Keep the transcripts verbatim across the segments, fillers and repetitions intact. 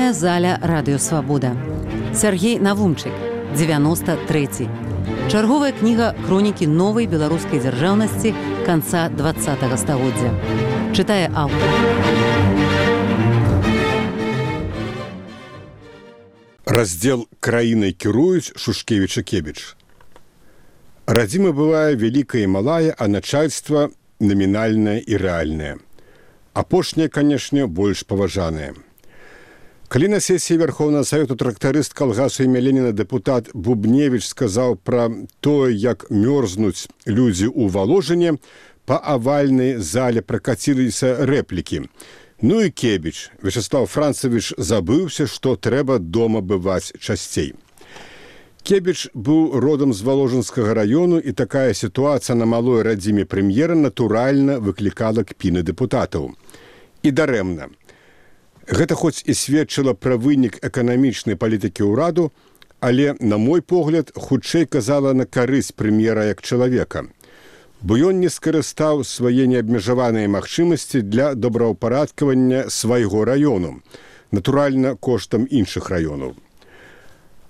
Літаратурная заля радыёвабода. Сяргей Навумчык, дзевяносто трэці. Чарговая кніга хронікі новай беларускай дзяржаўнасці канца двадцатага стагоддзя. Чытае аўтар. Раздзел «Краінай кіруюць» Шушкевіча-Кебіч. Радзіма бывае вялікая і малая, а начальства намінальнае і рэальнае. Апошняе, канешне, больш паважанае. Калі на сесіі Верховнага Савету трактарыст калгасу імя Леніна дэпутат Бубневіч сказаў пра тое, як мёрзнуць людзі ў Валожыне, па авальнай зале пракаціліся рэплікі. Ну і Кебіч, Вячеслав Францевич, забыўся, што трэба дома бываць часцей. Кебіч быў родам з Валожынскага раёну, і такая сітуацыя на малой радзіме прэм'ера натуральна выклікала кпіны дэпутатаў. І дарэмна. Гэта хоць і сведчыла пра вынік эканамічнай палітыкі ўраду, але, на мой погляд, хутчэй казала на карысць прэм'ера як чалавека. Бо ён не скарыстаў свае неабмежаваныя магчымасці для добраўпарадкавання свайго раёну, натуральна, коштам іншых раёнаў.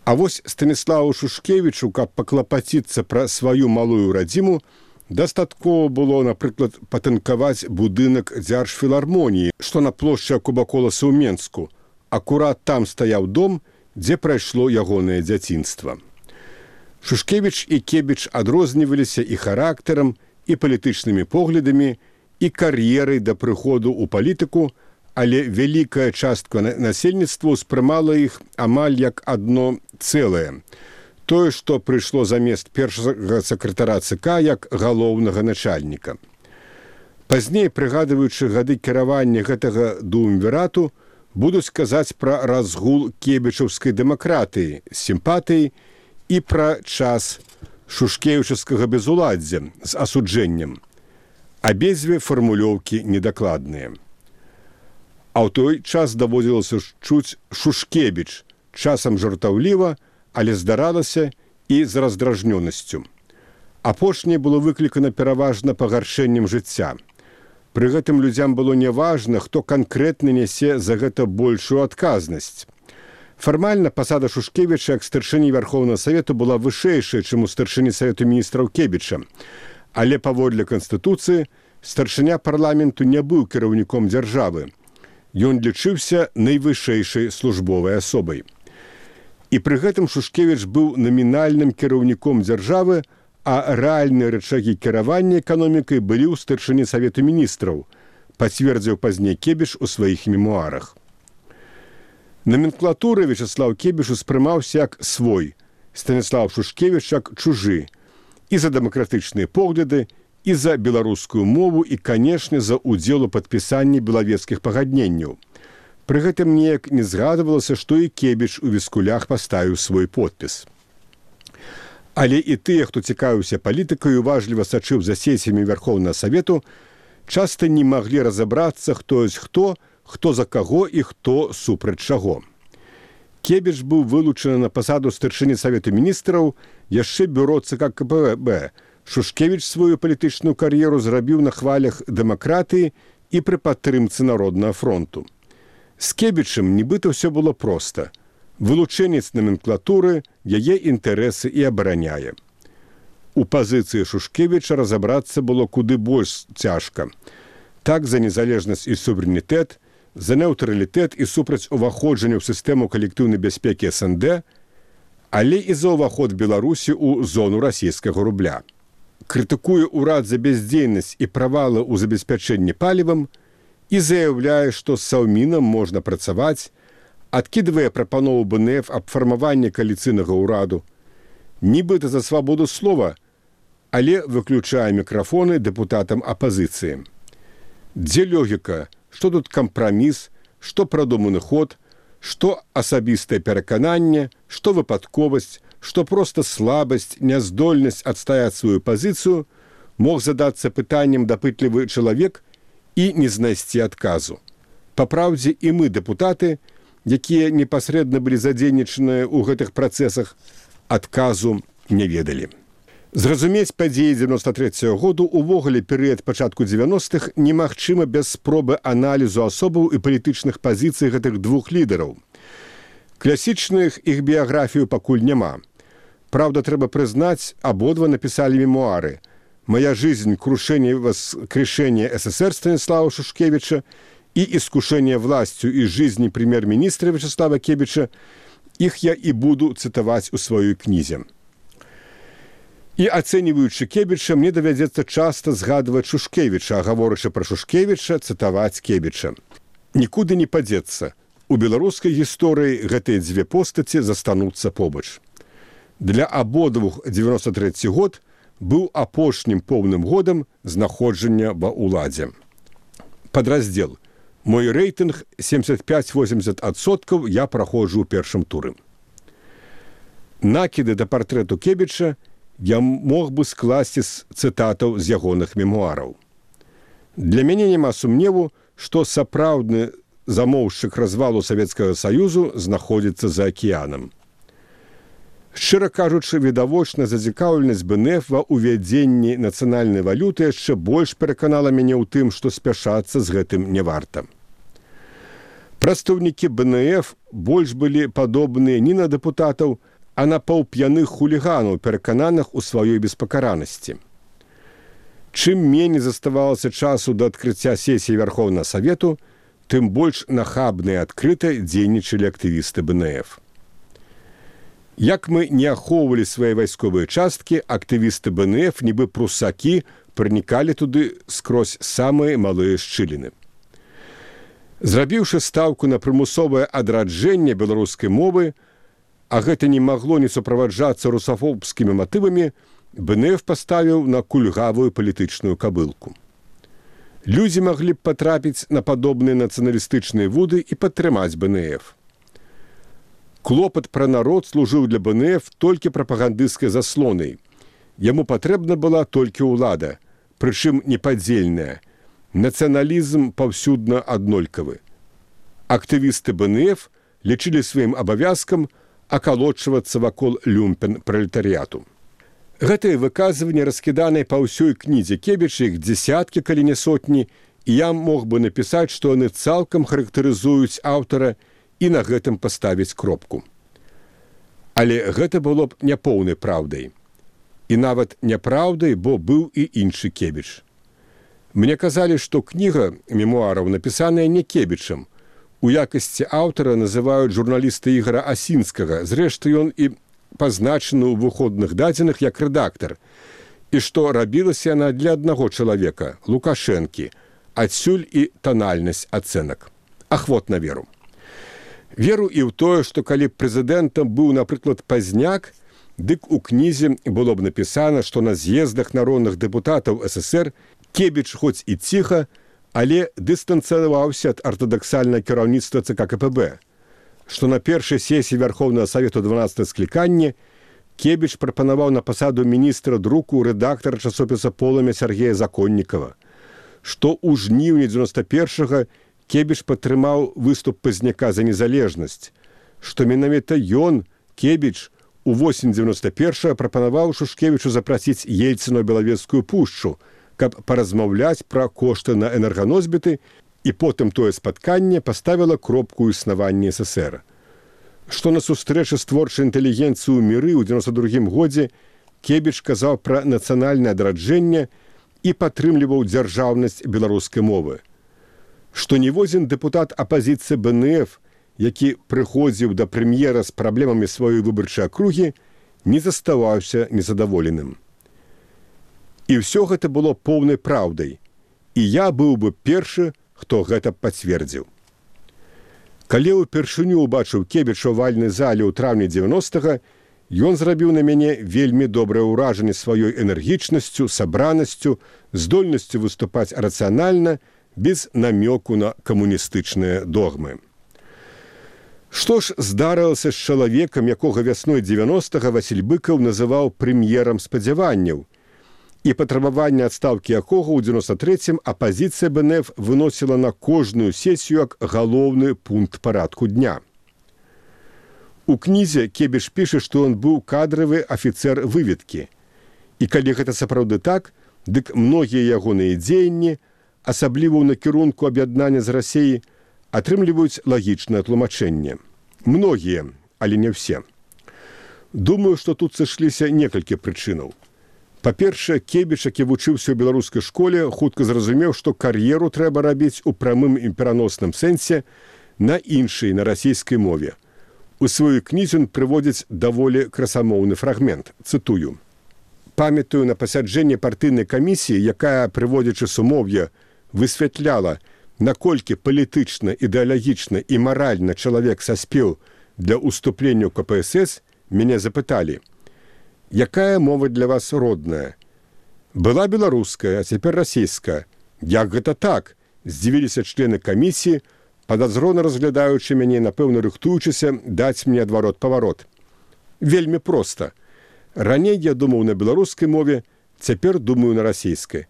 А вось Станіславу Шушкевічу, каб паклапаціцца пра сваю малую радзіму, дастаткова было, напрыклад, патынкаваць будынак дзяржфілармоніі, што на плошчы Кубаколаса ў Менску. Акурат там стаяў дом, дзе прайшло ягонае дзяцінства. Шушкевіч і Кебіч адрозніваліся і характарам, і палітычнымі поглядамі, і кар'ерай да прыходу ў палітыку, але вялікая частка насельніцтва ўспрымала іх амаль як адно цэлае. Тое, што прыйшло замест першага сакратара ЦК як галоўнага начальніка. Пазней, прыгадваючы гады кіравання гэтага дуумвірату, будуць казаць пра разгул кебічаўскай дэмакратыі, сімпатыі і пра час шушкевічаўскага безуладдзя з асуджэннем. Абедзве фармулёўкі недакладныя. А ў той час даводзілася чуць Шушкевіч, часам жартаўліва, але здаралася і з раздражнёнасцю. Апошняе было выклікана пераважна пагаршэннем жыцця. Пры гэтым людзям было няважна, хто канкрэтна нясе за гэта большую адказнасць. Фармальна пасада Шушкевіча як старшыні Верховнага Савету была вышэйшая, чым у старшыні Савету міністраў Кебіча. Але паводле Канстытуцыі старшыня парламенту не быў кіраўніком дзяржавы. Ён лічыўся найвышэйшай службовай асобай. І пры гэтым Шушкевіч быў намінальным кіраўніком дзяржавы, а рэальныя рычагі кіравання эканомікай былі ў старшыні Савету міністраў, пацвердзіў пазней Кебіч у сваіх мемуарах. Номенклатуры Вячеслав Кебіч успрымаўся як свой, Станіслав Шушкевіч як чужы, і за дэмакратычныя погляды, і за беларускую мову, і, канешне, за ўдзел у падпісанні белавецкіх пагадненняў. Пры гэтым неяк не згадвалася, што і Кебіч у віскулях паставіў свой подпіс. Але і тыя, хто цікавіўся палітыкай і уважліва сачыў за сесіямі Верховнага Савету, часта не маглі разабрацца, хто ёсць хто, хто за каго і хто супраць чаго. Кебіч быў вылучаны на пасаду старшыні Савету міністраў яшчэ бюро ЦК КПБ. Шушкевіч сваю палітычную кар'еру зрабіў на хвалях дэмакратыі і пры падтрымцы Народнага фронту. З Кебічам нібыта ўсё было проста. Вылучэнец номенклатуры яе інтарэсы і абараняе. У пазіцыі Шушкевіча разабрацца было куды больш цяжка. Так за незалежнасць і суверэнітэт, за неўтралітэт і супраць уваходжання ў сістэму калектыўнай бяспекі эс эн дэ, але і за ўваход Беларусі ў зону расійскага рубля. Крытыкуе ўрад за бяздзейнасць і правалы ў забеспячэнні палівам, і заяўляе, што з Саўмінам можна працаваць, адкідвае прапанову бэ эн эф аб фармаванні кааліцыйнага ўраду, нібыта за свабоду слова, але выключае мікрафоны дэпутатам апазіцыі. Дзе логіка, што тут кампраміс, што прадуманы ход, што асабістае перакананне, што выпадковасць, што проста слабасць, няздольнасць адстаяць сваю пазіцыю, мог задацца пытаннем дапытлівы чалавек і не знайсці адказу. Папраўдзе, і мы, дэпутаты, якія непасрэдна былі задзейнічаныя ў гэтых працэсах, адказу не ведалі. Зразумець падзеі дзевяноста трэцяга году увогуле перыяд пачатку дзевяностых немагчыма без спробы аналізу асобаў і палітычных пазіцый гэтых двух лідараў. Класічных іх біяграфію пакуль няма. Праўда, трэба прызнаць, абодва напісалі мемуары «Моя жизнь. Крушение и воскрешение СССР» Станислава Шушкевича и «Искушение властью из жизни премьер-министра Вячеслава Кебича». Их я и буду цитовать у своей книзе. И оцениваючи Кебича, мне доведется часто згадывать Шушкевича, а говорячи про Шушкевича, цитовать Кебича. Никуда не падзецца. У беларускай гісторыі гэтыя дзве постаці застануцца побач. Для абодвух дзевяносто трэці год быў апошнім поўным годам знаходжання ва ўладзе. Падраздзел. Мой рэйтынг семьдесят пять - восемьдесят адсоткаў я праходжу ў першым туры. Накіды да партрэту Кебіча я мог бы скласці з цытатаў з ягоных мемуараў. Для мяне няма сумневу, што сапраўдны замоўшчык развалу Савецкага Саюзу знаходзіцца за акіянам. Шчыра кажучы, відавочна зацікаўленасць БНФ ва ўвядзенні нацыянальнай валюты яшчэ больш пераканала мяне ў тым, што спяшацца з гэтым не варта. Прадстаўнікі БНФ больш былі падобныя не на дэпутатаў, а на паўп'яных хуліганаў, перакананых у сваёй беспакаранасці. Чым меней заставалася часу да адкрыцця сесіі Вярхоўнага Савету, тым больш нахабна і адкрыта дзейнічалі актывісты БНФ. Як мы не ахоўвалі свае вайсковыя часткі, актывісты БНФ, нібы прусакі, пранікалі туды скрозь самыя малыя шчыліны. Зрабіўшы стаўку на прымусовае адраджэнне беларускай мовы, а гэта не магло не суправаджацца русафобскімі матывамі, БНФ паставіў на кульгавую палітычную кабылку. Людзі маглі б патрапіць на падобныя нацыяналістычныя вуды і падтрымаць БНФ. Клопат пра народ служыў для БНФ толькі прапагандысцкай заслонай. Яму патрэбна была толькі ўлада, прычым непадзельная. Нацыяналізм паўсюдна аднолькавы. Актывісты БНФ лічылі сваім абавязкам акалочвацца вакол люмпен пралетарыяту. Гэтыя выказванні раскіданыя па ўсёй кнізе Кебіча, іх дзесяткі, калі не сотні, і я мог бы напісаць, што яны цалкам характарызуюць аўтара і на гэтым паставіць кропку. Але гэта было б няпоўнай праўдай. І нават няпраўдай, бо быў і іншы Кебіч. Мне казалі, што кніга мемуараў напісаная не Кебічам. У якасці аўтара называюць журналіста Ігора Асінскага, зрэшты, ён і пазначаны ў выходных дадзеных як рэдактар, і што рабілася яна для аднаго чалавека, Лукашэнкі, адсюль і танальнасць ацэнак. Ахвотна веру. Веру і ў тое, што калі прэзідэнтам быў, напрыклад, Пазняк, дык у кнізе было б напісана, што на з'ездах народных дэпутатаў ССР Кебіч хоць і ціха, але дыстанцыяваўся ад артадаксальнага кіраўніцтва ЦК КПБ, што на першай сесіі Вярхоўнага Савету дванаццатага склікання Кебіч прапанаваў на пасаду міністра друку рэдактара часопіса «Полымя» Сергея Законнікава, што ў жніўні дзевяносто першага Кебіч падтрымаў выступ Пазняка за незалежнасць, што менавіта ён, Кебіч, у восень дзевяносто першага прапанаваў Шушкевічу запрасіць Ельцына ў Белавежскую пушчу, каб паразмаўляць пра кошты на энерганосьбіты, і потым тое спатканне паставіла кропку ў існаванні СССР. Што на сустрэчы з творчай інтэлігенцыі ў міры ў дзевяносто другім годзе Кебіч казаў пра нацыянальнае адраджэнне і падтрымліваў дзяржаўнасць беларускай мовы. Што ніводзін дэпутат апазіцыі БНФ, які прыходзіў да прэм'ера з праблемамі сваёй выбарчай акругі, не заставаўся незадаволеным. І ўсё гэта было поўнай праўдай, і я быў бы першы, хто гэта пацвердзіў. Калі ўпершыню ўбачыў Кебіча ў вальнай зале ў траўні дзевяностага, ён зрабіў на мяне вельмі добрае ўражанне сваёй энергічнасцю, сабранасцю, здольнасцю выступаць рацыянальна, без намёку на камуністычныя догмы. Што ж здарылася з чалавекам, якога вясной дзевяностага Васіль Быкаў называў прэм'ерам спадзяванняў, і патрабаванне адстаўкі якога ў дзевяносто трэцім апазіцыя БНФ выносіла на кожную сесію як галоўны пункт парадку дня. У кнізе Кебіч піша, што ён быў кадравы афіцэр выведкі. І калі гэта сапраўды так, дык многія ягоныя дзеянні, асабліва ў накірунку аб'яднання з Расіяй, атрымліваюць лагічнае тлумачэнне. Многія, але не ўсе. Думаю, што тут сышліся некалькі прычынаў. Па-першае, Кебіч, які вучыўся ў беларускай школе, хутка зразумеў, што кар'еру трэба рабіць у прамым і пераносным сэнсе на іншай, на расійскай мове. У сваёй кнізе ён прыводзіць даволі красамоўны фрагмент. Цытую. «Памятаю на пасяджэнні партыйнай камісіі, якая, прыводзячы сумоўе, высвятляла, наколькі палітычна, ідэалагічна і маральна чалавек саспеў для ўступлення ў ка пэ эс эс, мяне запыталі, якая мова для вас родная? Была беларуская, а цяпер расійская. Як гэта так? Здзівіліся члены камісіі, падазрона разглядаючы мяне, напэўна, рыхтуючыся даць мне адварот-паварот. Вельмі проста. Раней я думаў на беларускай мове, цяпер думаю на расійскай.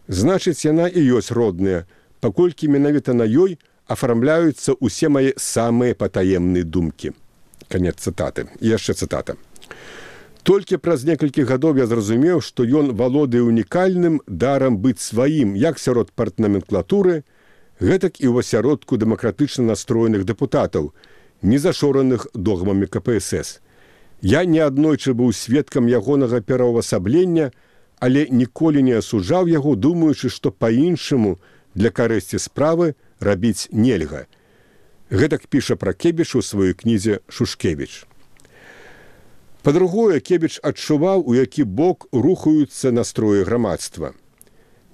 Значыць, яна і ёсць родная, паколькі менавіта на ёй афармляюцца ўсе мае самыя патаемныя думкі». Канец цытаты. І яшчэ цытата. «Толькі праз некалькі гадоў я зразумеў, што ён валодае унікальным дарам быць сваім як сярод партнаменклатуры, гэтак і ў асяродку дэмакратычна настроеных дэпутатаў, не зашораных догмамі ка пэ эс эс. Я неаднойчы быў сведкам ягонага пераўвасаблення, але ніколі не асуджаў яго, думаючы, што па-іншаму для карысці справы рабіць нельга». Гэтак піша пра Кебіч у сваёй кнізе «Шушкевіч». Па-другое, Кебіч адчуваў, у які бок рухаюцца настроі грамадства.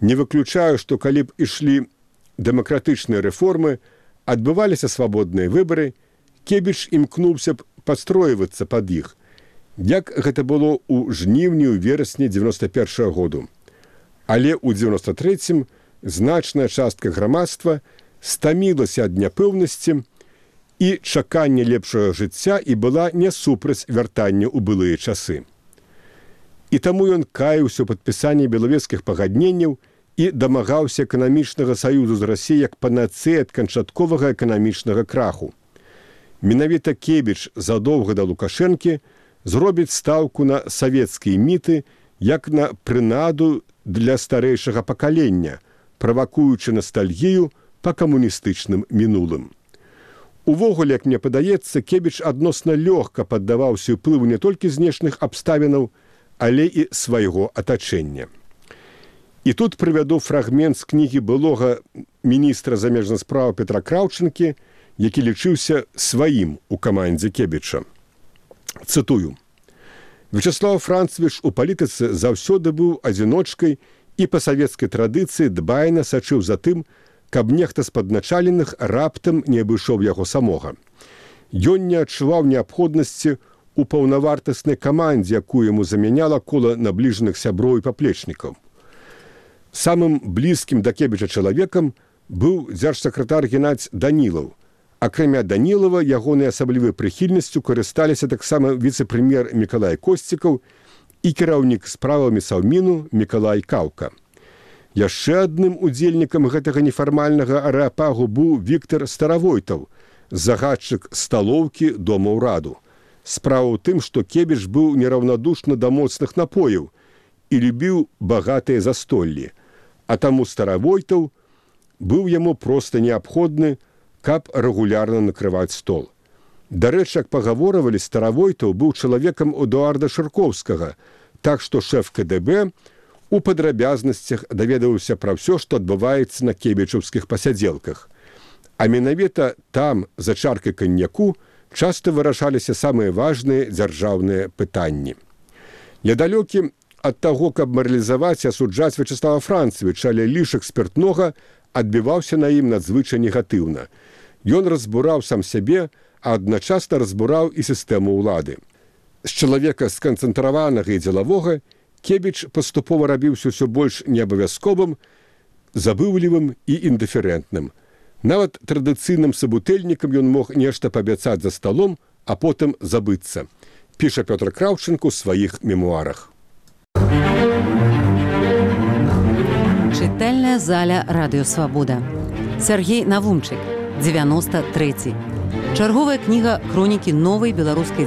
Не выключаю, што калі б ішлі дэмакратычныя рэформы, адбываліся свабодныя выбары, Кебіч імкнуўся б падстройвацца пад іх, як гэта было ў жніўні ў верасні дзевяноста першага году. Але ў дзевяноста трэцім значная частка грамадства стамілася ад няпэўнасці і чакання лепшага жыцця і была не супраць вяртання ў былыя часы. І таму ён каяўся ў падпісанні белавежскіх пагадненняў і дамагаўся эканамічнага саюзу з Расіяй як панацэя ад канчатковага эканамічнага краху. Менавіта Кебіч задоўга да Лукашэнкі зробіць стаўку на савецкія міты як на прынаду для старэйшага пакалення, правакуючы настальгію па камуністычным мінулым. Увогуле, як мне падаецца, Кебіч адносна лёгка паддаваўся ўплыву не толькі знешніх абставінаў, але і свайго атачэння. І тут прывяду фрагмент з кнігі былога міністра замежных спраў Петра Краўчынкі, які лічыўся сваім у камандзе Кебіча. Цытую. «Вячеслав Францевич у палітыцы заўсёды быў адзіночкай і па савецкай традыцыі дбайна сачыў за тым, каб нехта з падначаленых раптам не абышоў яго самога. Ён не адчуваў неабходнасці ў паўнавартаснай камандзе, якую яму замяняла кола набліжаных сяброў і паплечнікаў. Самым блізкім да Кебіча чалавекам быў дзяржсакратар Геннадзь Данілаў. Акрамя Данілава, ягонай асаблівай прыхільнасцю карысталіся таксама віцэ-прэм'ер Мікалай Косцікаў і кіраўнік справамі Саўміну Мікалай Каўка. Яшчэ адным удзельнікам гэтага нефармальнага арэапагу быў Віктар Старавойтаў, загадчык сталоўкі дома ўраду. Справа ў тым, што Кебіч быў нераўнадушны да моцных напояў і любіў багатыя застоллі, а таму Старавойтаў быў яму проста неабходны, каб рэгулярна накрываць стол. Дарэчы, як пагаворвалі, Старавойтаў быў чалавекам Эдуарда Шыркоўскага, так што шэф ка дэ бэ у падрабязнасцях даведаўся пра ўсё, што адбываецца на кебічаўскіх пасядзелках. А менавіта там, за чаркай каньяку, часта вырашаліся самыя важныя дзяржаўныя пытанні. Недалёкі ад таго, каб маралізаваць і асуджаць Вячеслава Францевича, але лішак спіртнога адбіваўся на ім надзвычай негатыўна. Ён разбураў сам сябе, а адначасна разбураў і сістэму ўлады. З чалавека сканцэнтраванага і дзелавога Кебіч паступова рабіўся ўсё больш неабавязковым, забыўлівым і індыферэнтным. Нават традыцыйным сабутэльнікам ён мог нешта паабяцаць за сталом, а потым забыцца. Піша Пётр Краўчынка ў сваіх мемуарах. Чытальная заля Радыё Свабода. Сяргей Навумчык, дзевяноста трэці. Чарговая кніга хронікі новай беларускай